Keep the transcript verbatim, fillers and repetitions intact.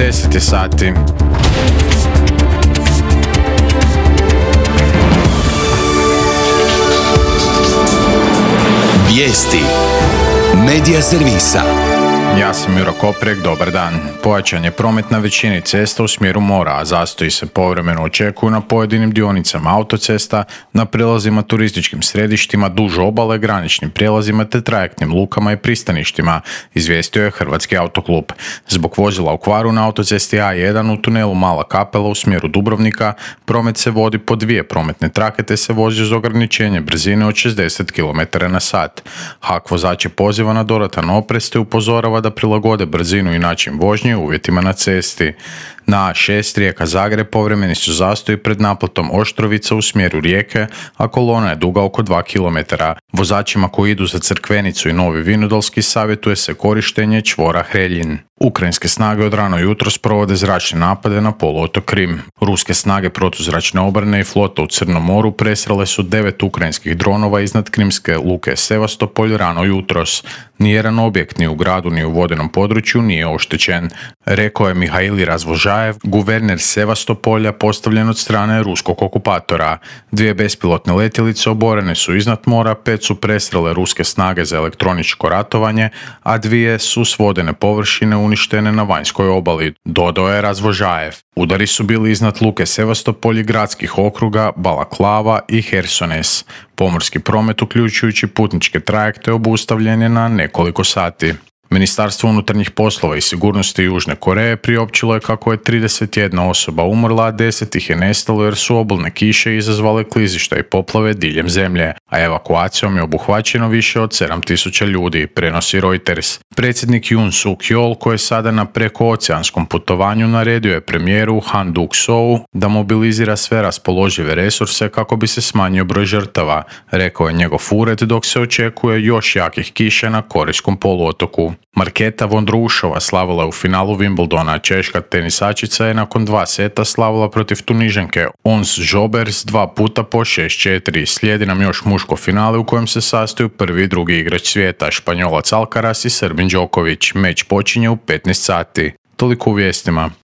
deset je sati. Vijesti Medija servisa. Ja sam Juro Koprek, dobar dan. Pojačan je promet na većini cesta u smjeru mora, a zastoji se povremeno očekuju na pojedinim dionicama autocesta, na prijelazima turističkim središtima, duž obale, graničnim prijelazima te trajektnim lukama i pristaništima, izvijestio je Hrvatski autoklub. Zbog vozila u kvaru na autocesti A jedan u tunelu Mala Kapela u smjeru Dubrovnika, promet se vodi po dvije prometne trake te se vozi uz ograničenje brzine od šezdeset kilometara na sat. H A K vozače poziva na dodatan oprez te upozorava da prilagode brzinu i način vožnje uvjetima na cesti. Na A šest Rijeka-Zagreb povremeni su zastoji pred naplatom Oštrovica u smjeru Rijeke, a kolona je duga oko dva kilometra. Vozačima koji idu za Crkvenicu i Novi Vinodolski savjetuje se korištenje čvora Hreljin. Ukrajinske snage od rano jutros provode zračne napade na poluotok Krim. Ruske snage protuzračne obrane i flota u Crnom moru presrele su devet ukrajinskih dronova iznad krimske luke Sevastopolj rano jutros. Nijedan objekt ni u gradu ni u vodenom području nije oštećen, rekao je Mihail Razvožajev, guverner Sevastopolja postavljen od strane ruskog okupatora. Dvije bespilotne letjelice oborene su iznad mora, pet su presrele ruske snage za elektroničko ratovanje, a dvije su s vodene površine uništene na vanjskoj obali, dodao je Razvožajev. Udari su bili iznad luke Sevastopolj i gradskih okruga Balaklava i Hersones. Pomorski promet, uključujući putničke trajekte, obustavljen je na nekoliko sati. Ministarstvo unutarnjih poslova i sigurnosti Južne Koreje priopćilo je kako je trideset jedna osoba umrla, a deset ih je nestalo jer su obilne kiše izazvale klizišta i poplave diljem zemlje, a evakuacijom je obuhvaćeno više od sedam tisuća ljudi, prenosi Reuters. Predsjednik Yoon Suk Yeol, koji je sada na prekooceanskom putovanju, naredio je premijeru Han Duck-soo da mobilizira sve raspoložive resurse kako bi se smanjio broj žrtava, rekao je njegov ured, dok se očekuje još jakih kiša na Korejskom poluotoku. Marketa Vondroušova slavila je u finalu Wimbledona, češka tenisačica je nakon dva seta slavila protiv Tunižanke Ons Jabeur dva puta po šest četiri. Slijedi nam još muško finale u kojem se sastoju prvi i drugi igrač svijeta, Španjolac Alcaraz i Srbin Đoković. Meč počinje u petnaest sati. Toliko u vijestima.